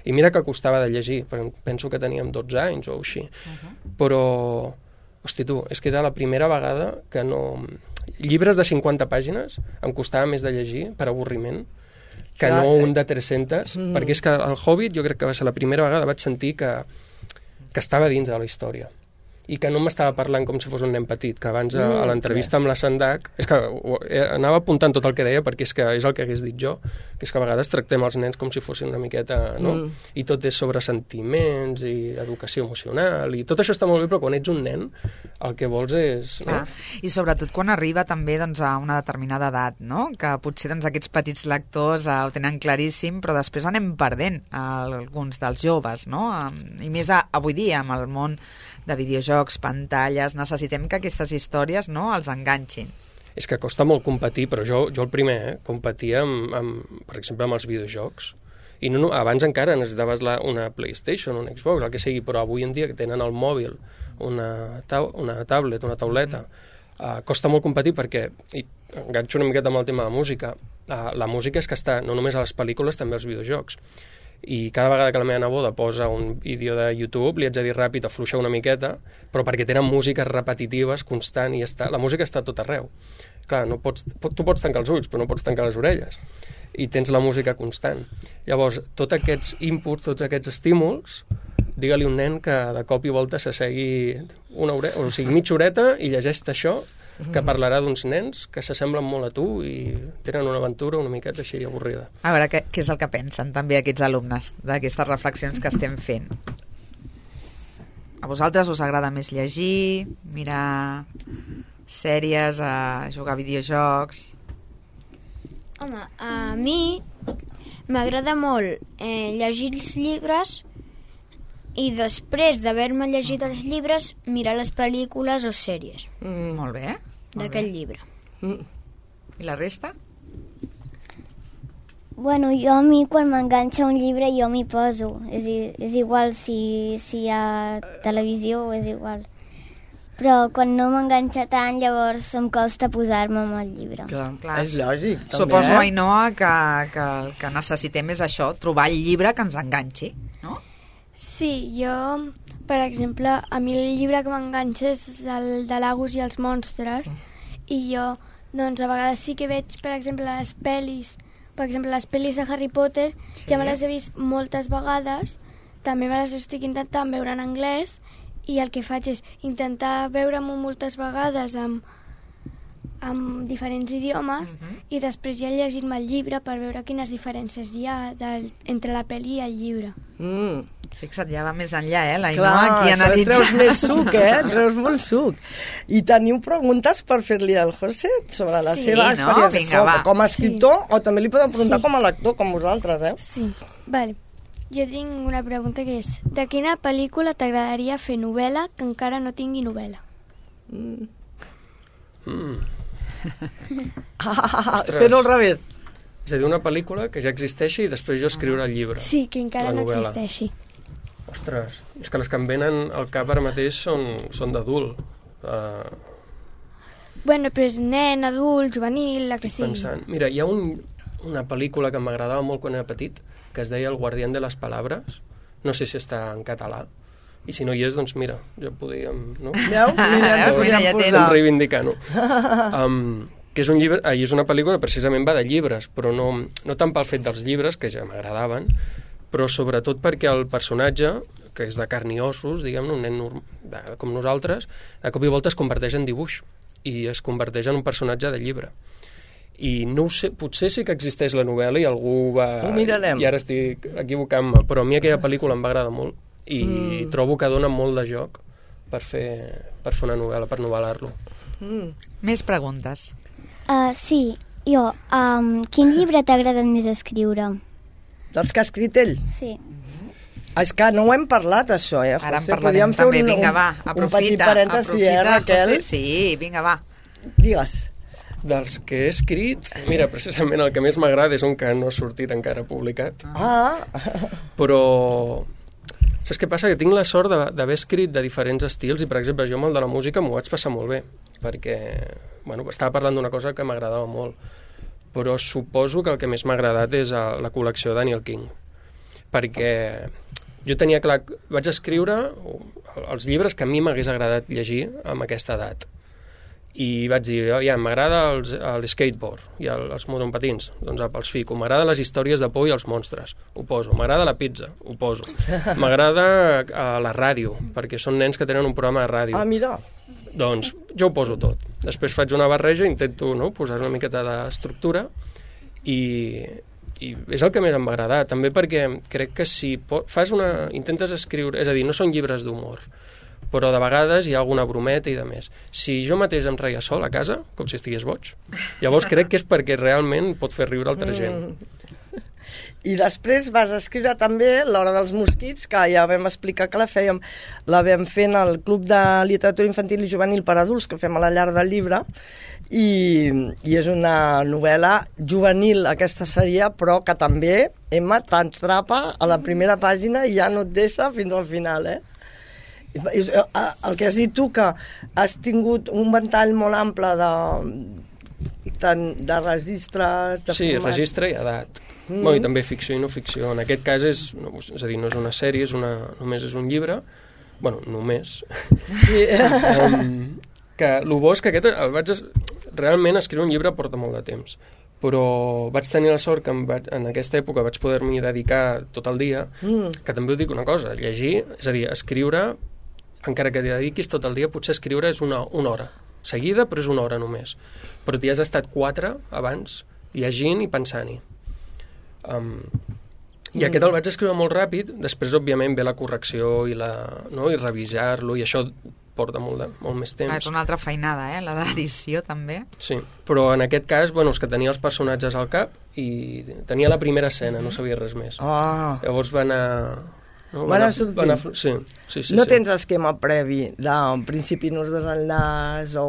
I mira que costava de llegir, penso que teníem 12 anys o així. Però, hosti tu, és que era la primera vegada que no... Llibres de 50 pàgines em costava més de llegir, per avorriment, que no un de 300, perquè és que el Hobbit jo crec que va ser la primera vegada vaig sentir que estava dins de la història. I que no m'estava parlant com si fos un nen petit, que abans a l'entrevista amb la Sandac, és que anava apuntant tot el que deia, perquè és que és el que hagués dit jo, que és que a vegades tractem els nens com si fossin una miqueta, no? I tot és sobre sentiments i educació emocional, i tot això està molt bé, però quan ets un nen el que vols és... No? I sobretot quan arriba també doncs, a una determinada edat, no? Que potser doncs, aquests petits lectors ho tenen claríssim, però després anem perdent alguns dels joves, no? I més avui dia, amb el món de videojocs, pantalles, necessitem que aquestes històries no els enganxin. És que costa molt competir, però jo el primer competia, per exemple, amb els videojocs. I abans encara necessitaves una PlayStation, un Xbox, el que sigui, però avui en dia que tenen el mòbil, una tablet, una tauleta, costa molt competir perquè, i enganxo una miqueta amb el tema de música, la música és que està no només a les pel·lícules, també als videojocs. I cada vegada que la meva neboda posa un vídeo de YouTube li haig de dir ràpid, afluixar una miqueta, però perquè tenen músiques repetitives, constant, i la música està tot arreu. Clar, tu pots tancar els ulls, però no pots tancar les orelles, i tens la música constant. Llavors, tots aquests inputs, tots aquests estímuls, digue-li a un nen que de cop i volta s'assegui mitja horeta i llegeix això, que parlarà d'uns nens que s'assemblen molt a tu i tenen una aventura una miqueta així avorrida. A veure, què és el que pensen també aquests alumnes d'aquestes reflexions que estem fent? A vosaltres us agrada més llegir, mirar sèries, jugar a videojocs? Home, a mi m'agrada molt llegir els llibres i després d'haver-me llegit els llibres, mirar les pel·lícules o sèries. Molt bé. D'aquell llibre. I la resta? Bueno, a mi quan m'enganxa un llibre jo m'hi poso. És igual si hi ha televisió, és igual. però quan no m'enganxa tant, llavors em costa posar-me amb el llibre. Clar, és lògic, també. Suposo, Ainhoa, que el que necessitem és això, trobar el llibre que ens enganxi, no? Sí, jo, per exemple, a mi el llibre que m'enganxa és el de l'Agus i els monstres, i jo, doncs, a vegades sí que veig, per exemple, les pel·lis. Per exemple, les pel·lis de Harry Potter, ja me les he vist moltes vegades, també me les estic intentant veure en anglès, i el que faig és intentar veure-m'ho moltes vegades amb diferents idiomes, i després ja llegir-me el llibre per veure quines diferències hi ha entre la pel·li i el llibre. Fixa't, ja va més enllà, la Clar, Ainhoa aquí analitza. treus més suc, treus molt suc. I teniu preguntes per fer-li al José sobre la seva experiència com a escriptor, o també li podem preguntar com a lector, com vosaltres, Sí, vale. Jo tinc una pregunta que és: de quina pel·lícula t'agradaria fer novel·la que encara no tingui novel·la? Fer-ho al revés. És a dir, una pel·lícula que ja existeixi i després jo escriure el llibre. Sí, que encara no existeixi. Ostres, és que les que em venen al cap ara mateix són d'adult. Bueno, però és nen, adult, juvenil, la que sigui. Pensant. Mira, hi ha una pel·lícula que m'agradava molt quan era petit, que es deia El guardián de les palabres. No sé si està en català. I si no hi és, doncs mira, ja podríem... No? Mira, ja tens. Reivindicar-ho. Que és un llibre, és una pel·lícula que precisament va de llibres, però no tant pel fet dels llibres, que ja m'agradaven, però sobretot perquè el personatge, que és de carn i ossos, diguem-ne, un nen com nosaltres, de cop i volta es converteix en dibuix i es converteix en un personatge de llibre. I no ho sé, potser sí que existeix la novel·la i algú va... Ho mirarem. I ara estic equivocant-me, però a mi aquella pel·lícula em va agradar molt i trobo que dona molt de joc per fer una novel·la, per novel·lar-lo. Més preguntes. Sí, jo. Quin llibre t'ha agradat més escriure? Dels que ha escrit ell? Sí. És que no ho hem parlat, això, José? Ara en parlarem també. Vinga, va, aprofita. Un petit parèntesi, Raquel? José? Sí, vinga, va. Digues. Dels que he escrit, mira, precisament el que més m'agrada és un que no ha sortit encara publicat. Però... Saps què passa? Que tinc la sort d'haver escrit de diferents estils i, per exemple, jo amb el de la música m'ho vaig passar molt bé, perquè estava parlant d'una cosa que m'agradava molt. Però suposo que el que més m'ha agradat és la col·lecció de Daniel King, perquè jo tenia clar... Vaig escriure els llibres que a mi m'hagués agradat llegir amb aquesta edat. I vaig dir, m'agrada el skateboard i els monopatins, doncs els fico. M'agrada les històries de por i els monstres, ho poso. M'agrada la pizza, ho poso. M'agrada la ràdio, perquè són nens que tenen un programa de ràdio. Mira. Doncs jo ho poso tot. Després faig una barreja, intento posar una miqueta d'estructura i és el que més em va agradar. També perquè crec que si intentes escriure... És a dir, no són llibres d'humor, però de vegades hi ha alguna brometa i de més. Si jo mateix em reia sol a casa, com si estigués boig, llavors crec que és perquè realment pot fer riure altra gent. I després vas escriure també L'hora dels mosquits, que ja vam explicar que la vam fer en el Club de Literatura Infantil i Juvenil per Adults, que fem a la llar del llibre, i és una novel·la juvenil, aquesta seria, però que també, Emma, t'entrapa a la primera pàgina i ja no et deixa fins al final, El que has dit tu, que has tingut un ventall molt ample de registres... Sí, registre i edat. I també ficció i no ficció. En aquest cas és a dir, no és una sèrie, només és un llibre. Bueno, només. Que el bo és que aquest realment escriure un llibre porta molt de temps. Però vaig tenir la sort que en aquesta època vaig poder-m'hi dedicar tot el dia, que també us dic una cosa, llegir, és a dir, escriure, encara que t'hi dediquis tot el dia, potser escriure és una hora seguida, però és una hora només. Però t'hi has estat 4 abans, llegint i pensant-hi. I aquest el vaig escriure molt ràpid, després, òbviament, ve la correcció i revisar-lo, i això porta molt més temps. És una altra feinada, la d'edició, també. Sí, però en aquest cas, és que tenia els personatges al cap i tenia la primera escena, no sabia res més. Llavors va anar No? Van sortint. Sí. No tens esquema previ de principi nos desenllaç o...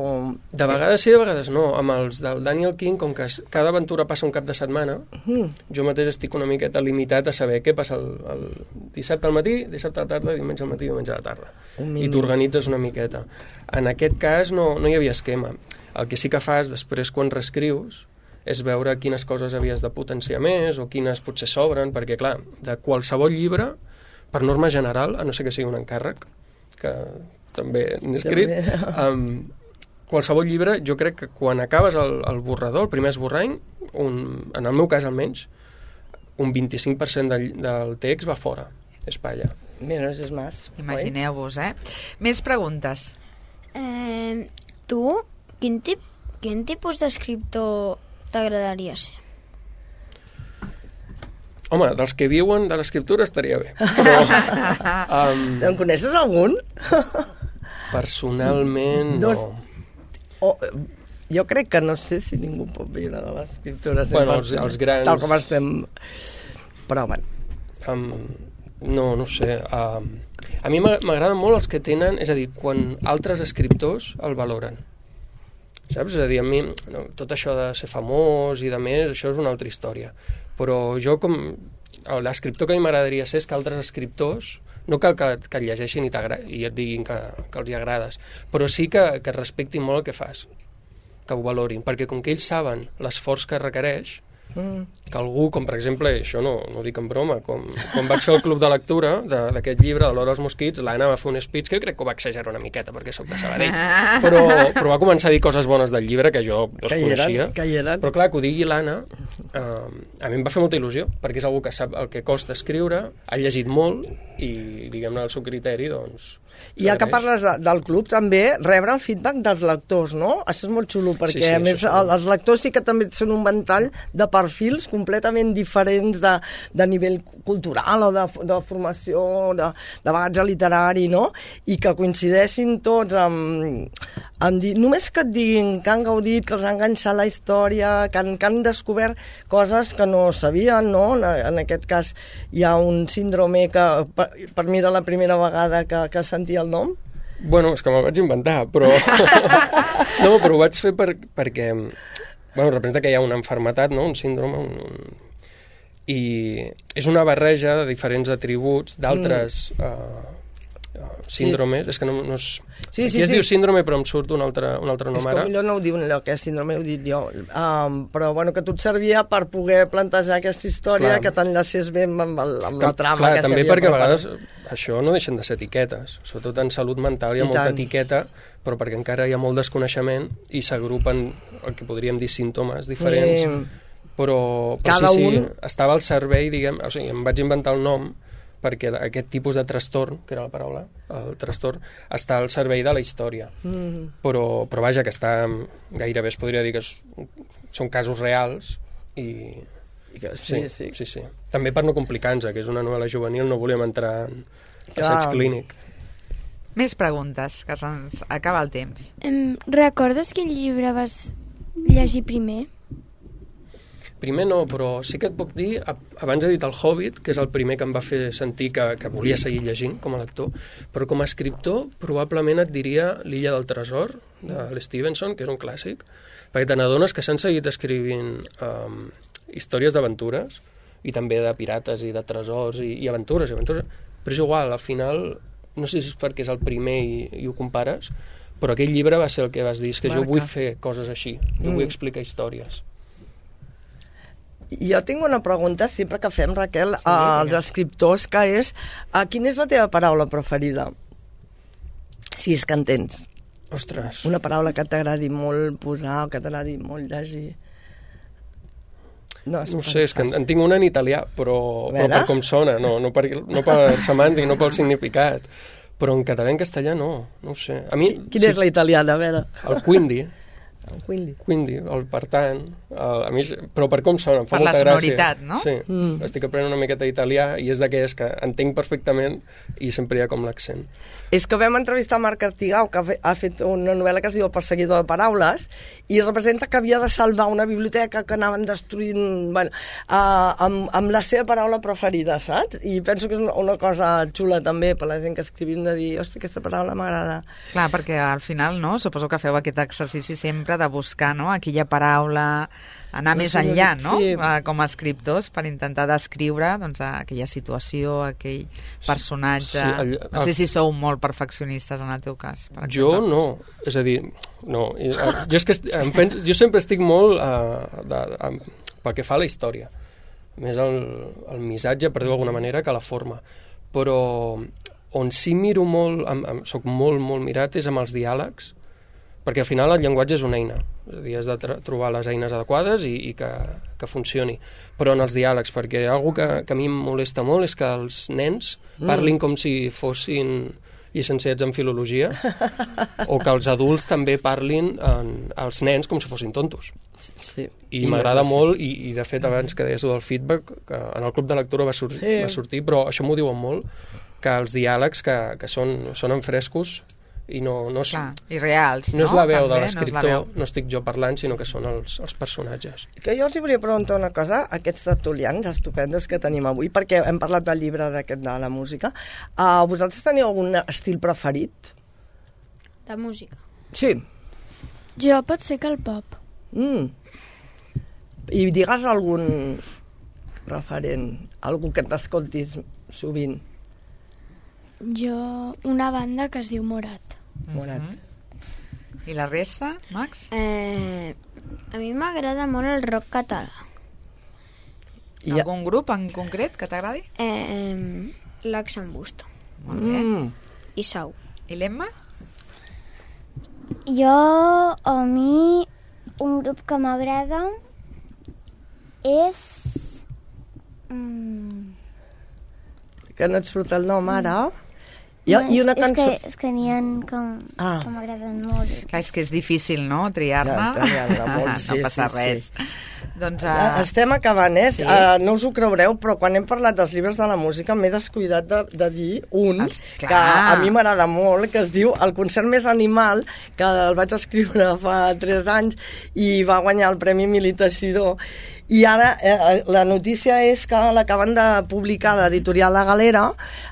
De vegades sí, de vegades no. Amb els del Daniel King, com que cada aventura passa un cap de setmana, jo mateix estic una miqueta limitat a saber què passa el dissabte al matí, dissabte a la tarda, diumenge al matí, diumenge a la tarda. I t'organitzes una miqueta. En aquest cas no hi havia esquema. El que sí que fas després quan reescrius és veure quines coses havies de potenciar més o quines potser sobren, perquè clar, de qualsevol llibre, per norma general, a no ser que sigui un encàrrec, que també n'he escrit, qualsevol llibre, jo crec que quan acabes el borrador, el primer esborrany, en el meu cas almenys, un 25% del text va fora, és palla. Menos és més. Imagineu-vos, Més preguntes. Tu, quin tipus d'escriptor t'agradaria ser? Home, dels que viuen de l'escriptura estaria bé. Però, en coneixes algun? Personalment, no. Jo crec que no sé si ningú pot viure de l'escriptura. Bueno, els grans... Tal com estem... Però, bueno. No sé. A mi m'agraden molt els que tenen... És a dir, quan altres escriptors el valoren. Saps? És a dir, a mi tot això de ser famós i de més, això és una altra història. Però jo l'escriptor que a mi m'agradaria ser és que altres escriptors no cal que et llegeixin i et diguin que els hi agrades, però sí que respectin molt el que fas, que ho valorin, perquè com que ells saben l'esforç que requereix, que algú, com per exemple, això no ho dic en broma, quan vaig fer el club de lectura d'aquest llibre, de l'Hora dels Mosquits, l'Anna va fer un speech que jo crec que ho va exagerar una miqueta perquè soc de Sabadell, però va començar a dir coses bones del llibre que jo els coneixia. Però clar, que ho digui l'Anna, a mi em va fer molta il·lusió, perquè és algú que sap el que costa escriure, ha llegit molt i, diguem-ne, el seu criteri, doncs... I ja que parles del club, també rebre el feedback dels lectors, no? Això és molt xulo, perquè a més els lectors sí que també són un ventall de perfils completament diferents de nivell cultural o de formació, de bagatge literari, no? I que coincideixin tots amb dir, només que et diguin que han gaudit, que els ha enganxat la història, que han descobert coses que no sabien, no? En aquest cas hi ha un síndrome que per mi era la primera vegada que sentia el nom? Bueno, és que me'l vaig inventar, però... No, però ho vaig fer perquè... Bueno, representa que hi ha una malaltia, no? Un síndrome, i és una barreja de diferents atributs d'altres síndromes, és que no és... Aquí es diu síndrome, però em surt un altre nom ara. És que millor no ho diu allò, que és síndrome, ho dic jo. Però bueno, que tot servia per poder plantejar aquesta història, que t'enllacés bé amb la trama que s'havia també perquè a vegades això no deixen de ser etiquetes, sobretot en salut mental hi ha molta etiqueta, però perquè encara hi ha molt desconeixement i s'agrupen el que podríem dir símptomes diferents, però sí, estava al servei, diguem, o sigui, em vaig inventar el nom perquè aquest tipus de trastorn, que era la paraula, el trastorn, està al servei de la història. Però vaja, que està gairebé, es podria dir que són casos reals i... Sí. També per no complicar-nos, que és una novel·la juvenil, no volíem entrar en assaig clínic. Més preguntes, que se'ns acaba el temps. Recordes quin llibre vas llegir primer? Primer no, però sí que et puc dir, abans he dit El Hobbit, que és el primer que em va fer sentir que volia seguir llegint com a lector, però com a escriptor probablement et diria L'Illa del Tresor, de l'Stevenson, que és un clàssic, perquè te n'adones que s'han seguit escrivint històries d'aventures, i també de pirates i de tresors i aventures, però és igual, al final, no sé si és perquè és el primer i ho compares, però aquell llibre va ser el que vas dir, és que jo vull fer coses així, jo vull explicar històries. Jo tinc una pregunta sempre que fem, Raquel, als escriptors, que és quina és la teva paraula preferida? Si és que en tens. Ostres. Una paraula que t'agradi molt posar o que t'agradi molt llegir. No sé, és que en tinc una en italià, però per com sona, no per semàntic, no pel significat. Però en català i en castellà no ho sé. A mi, Quina és la italiana, a veure? El quindi. Quindi, el per tant, a mi, però per com sona, em fa per molta la gràcia. sonoritat, no? Sí, estic aprenent una miqueta d'italià i és d'aquelles que entenc perfectament i sempre hi ha com l'accent. És que vam entrevistar Marc Artigau, que ha fet una novel·la que es diu El perseguidor de paraules, i representa que havia de salvar una biblioteca que anaven destruint, bueno, amb la seva paraula preferida, saps? I penso que és una cosa xula també per la gent que escrivim, de dir, hosti, aquesta paraula m'agrada. Clar, perquè al final, no?, suposo que feu aquest exercici sempre de buscar, no?, aquella paraula, anar més enllà, no?, sí. Com a escriptors, per intentar descriure, doncs, aquella situació, aquell personatge. Sí, no sé si sou molt perfeccionistes en el teu cas. Per jo no, és a dir, no. Jo, és que jo sempre estic molt pel que fa a la història. Més el missatge, per dir-ho d'alguna manera, que la forma. Però on sí miro molt, soc molt mirat, és amb els diàlegs, perquè al final el llenguatge és una eina, és a dir, has de trobar les eines adequades i que funcioni. Però en els diàlegs, perquè algo que a mi em molesta molt és que els nens parlin com si fossin llicenciats en filologia, o que els adults també parlin als nens com si fossin tontos. Sí. I m'agrada molt, i de fet abans que deies del feedback, que en el club de lectura va sortir, però això m'ho diuen molt, que els diàlegs que sonen frescos i no clar, i reals, no és la veu també, de l'escriptor, no estic jo parlant, sinó que són els personatges. Que jo els volia preguntar una cosa, aquests tertulians estupendos que tenim avui, perquè hem parlat del llibre d'aquest de la música. Vosaltres teniu algun estil preferit? De música? Sí. Jo pot ser que el pop. I digues algun referent, algú que t'escoltis sovint. Jo, una banda que es diu Morat. Morat. I la resta, Max? A mi m'agrada molt el rock català. Algun grup en concret que t'agradi? L'Axambusto. Molt bé. I Sau. I l'Emma? A mi, un grup que m'agrada és... Que no et surt el nom ara? I una cançó... És que n'hi ha que m'agraden molt. Clar, és que és difícil, no?, triar-ne. No passa res. Doncs, estem acabant, Sí. No us ho creureu, però quan hem parlat dels llibres de la música m'he descuidat de dir un que a mi m'agrada molt, que es diu El concert més animal, que el vaig escriure fa 3 anys i va guanyar el Premi Emili Teixidor. I ara la notícia és que l'acaben de publicar l'editorial La Galera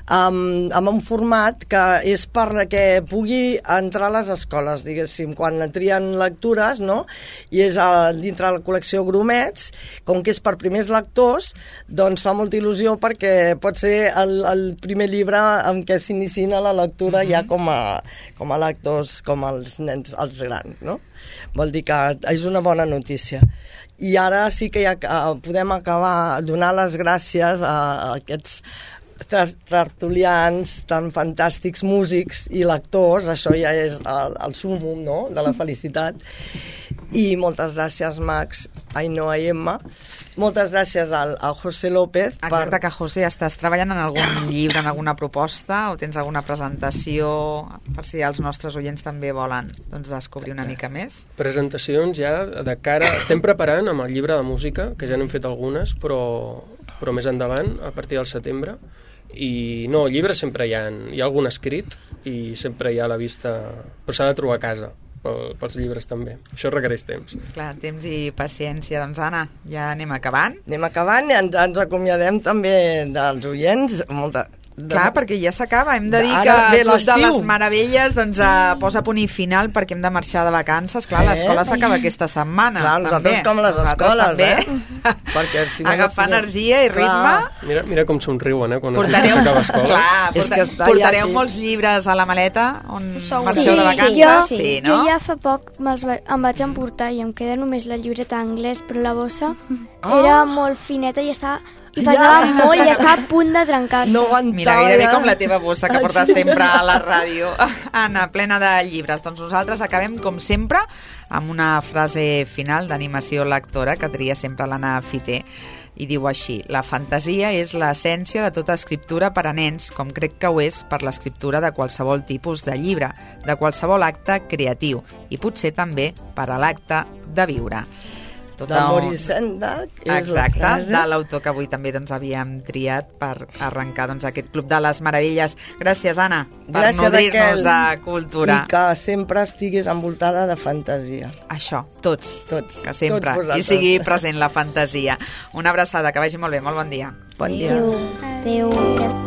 amb un format que és perquè pugui entrar a les escoles, diguéssim, quan trien lectures, no? I és dintre la col·lecció Grumets, com que és per primers lectors, doncs fa molta il·lusió perquè pot ser el primer llibre en què s'iniciïn a la lectura ja com a lectors, com els nens, els grans, no? Vol dir que és una bona notícia. I ara sí que ja podem acabar donant les gràcies a aquests tertulians tan fantàstics, músics i lectors. Això ja és el súmmum, no?, de la felicitat. I moltes gràcies, Max, Ainhoa i Emma. Moltes gràcies a José López. Exacte, que José, estàs treballant en algun llibre, en alguna proposta, o tens alguna presentació, per si els nostres oients també volen descobrir una mica més? Presentacions ja de cara... Estem preparant amb el llibre de música, que ja n'hem fet algunes, però més endavant, a partir del setembre. I no, llibres sempre hi ha algun escrit i sempre hi ha a la vista, però s'ha de trobar a casa pels llibres també, això requereix temps. Clar, temps i paciència. Doncs Anna, ja anem acabant i ens acomiadem també dels oients. Clar, perquè ja s'acaba. Hem de dir que el Club de les Meravelles posa punt i final perquè hem de marxar de vacances. Clar, l'escola s'acaba aquesta setmana. Clar, nosaltres com les escoles, perquè si no agafar energia i ritme. Mira com somriuen, quan s'acaba escola. Clar, portareu molts llibres a la maleta on marxeu de vacances? Sí, jo ja fa poc em vaig emportar i em queda només la llibreta d'anglès, però la bossa era molt fineta i estava I pesava molt i estava a punt de trencar-se. No aguantava. Mira, gairebé com la teva bossa que portes sempre a la ràdio. Anna, plena de llibres. Doncs nosaltres acabem, com sempre, amb una frase final d'animació lectora que tria sempre l'Anna Fiter. I diu així: la fantasia és l'essència de tota escriptura per a nens, com crec que ho és per l'escriptura de qualsevol tipus de llibre, de qualsevol acte creatiu, i potser també per a l'acte de viure. De Maurice Sendak és exacte, la frase de l'autor que avui també havíem triat per arrencar aquest Club de les Meravelles. Gràcies, Anna, per nodrir-nos de cultura. I que sempre estiguis envoltada de fantasia. Això, tots, que sempre tots hi sigui present la fantasia. Una abraçada, que vagi molt bé, molt bon dia. Bon dia. Adéu.